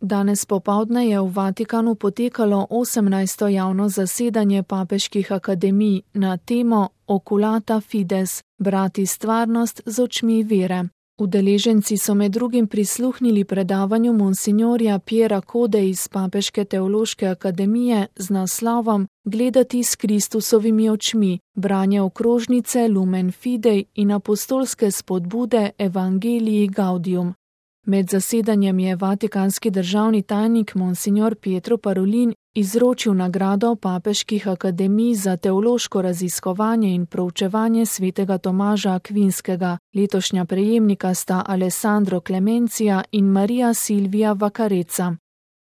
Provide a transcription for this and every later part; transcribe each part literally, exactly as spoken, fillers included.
Danes popoldne je v Vatikanu potekalo osemnajsto javno zasedanje papeških akademij na temo Oculata Fides, brati stvarnost z očmi vere. Udeleženci so med drugim prisluhnili predavanju monsinjorja Piera Code iz Papeške teološke akademije z naslovom Gledati s Kristusovimi očmi, branje okrožnice Lumen Fidei in apostolske spodbude Evangelii Gaudium. Med zasedanjem je vatikanski državni tajnik monsinjor Pietro Parolin izročil nagrado papeških akademij za teološko raziskovanje in proučevanje svetega Tomaža Akvinskega. Letošnja prejemnika sta Alessandro Clemencia in Maria Silvia Vaccarezza.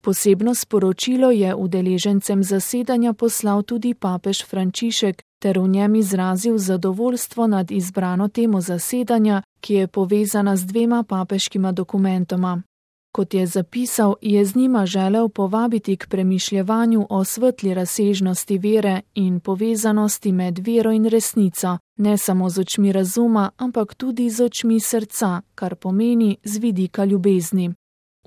Posebno sporočilo je udeležencem zasedanja poslal tudi papež Frančišek ter v njem izrazil zadovoljstvo nad izbrano temo zasedanja, ki je povezana z dvema papeškima dokumentoma. Kot je zapisal, je z njima želel povabiti k premišljevanju o svetli razsežnosti vere in povezanosti med vero in resnico, ne samo z očmi razuma, ampak tudi z očmi srca, kar pomeni z vidika ljubezni.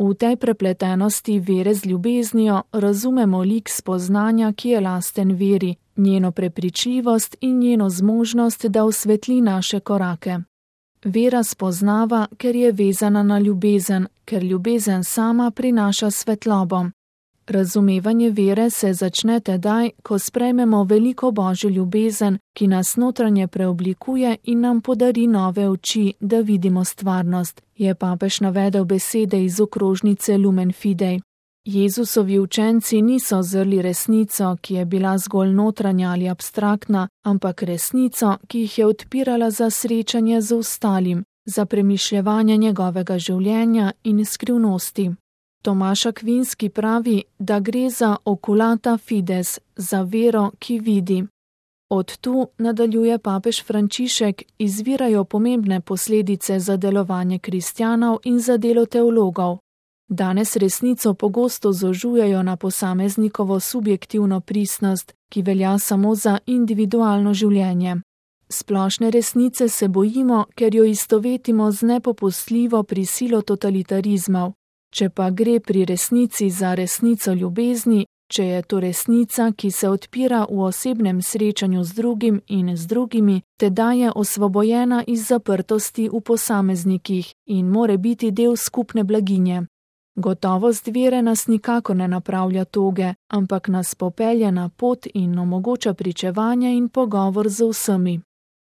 V tej prepletenosti vere z ljubeznijo razumemo lik spoznanja, ki je lasten veri, njeno prepričljivost in njeno zmožnost, da osvetli naše korake. Vera spoznava, ker je vezana na ljubezen, ker ljubezen sama prinaša svetlobo. Razumevanje vere se začne tedaj, ko sprejmemo veliko božjo ljubezen, ki nas notranje preoblikuje in nam podari nove oči, da vidimo stvarnost, je papež navedel besede iz okrožnice Lumen Fidei. Jezusovi učenci niso zrli resnico, ki je bila zgolj notranja ali abstraktna, ampak resnico, ki jih je odpirala za srečanje z ostalim, za premišljevanje njegovega življenja in skrivnosti. Tomaž Akvinski pravi, da gre za oculata fides, za vero, ki vidi. Od tu, nadaljuje papež Frančišek, izvirajo pomembne posledice za delovanje kristjanov in za delo teologov. Danes resnico pogosto zožujejo na posameznikovo subjektivno pristnost, ki velja samo za individualno življenje. Splošne resnice se bojimo, ker jo istovetimo z nepopustljivo prisilo totalitarizmov. Če pa gre pri resnici za resnico ljubezni, če je to resnica, ki se odpira v osebnem srečanju z drugim in z drugimi, teda je osvobojena iz zaprtosti v posameznikih in more biti del skupne blaginje. Gotovost vere nas nikako ne napravlja toge, ampak nas popelje na pot in omogoča pričevanje in pogovor z vsemi.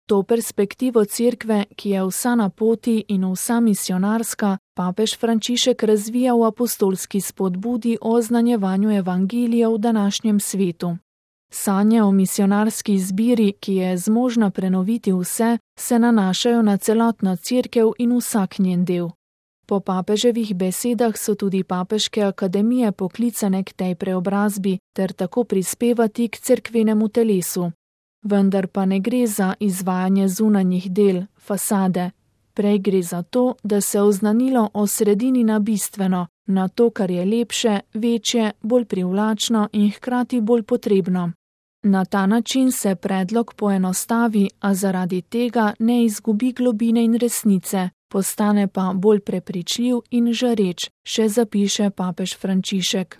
To perspektivo cerkve, ki je vsa na poti in vsa misionarska, papež Frančišek razvija v apostolski spodbudi o oznanjevanju evangelija v današnjem svetu. Sanje o misionarski izbiri, ki je zmožna prenoviti vse, se nanašajo na celotno cerkev in vsak njen del. Po papeževih besedah so tudi papeške akademije poklicane k tej preobrazbi ter tako prispevati k cerkvenemu telesu. Vendar pa ne gre za izvajanje zunanjih del, fasade. Prej gre za to, da se oznanilo osredini na bistveno, na to, kar je lepše, večje, bolj privlačno in hkrati bolj potrebno. Na ta način se predlog poenostavi, a zaradi tega ne izgubi globine in resnice, postane pa bolj prepričljiv in žareč, še zapiše papež Frančišek.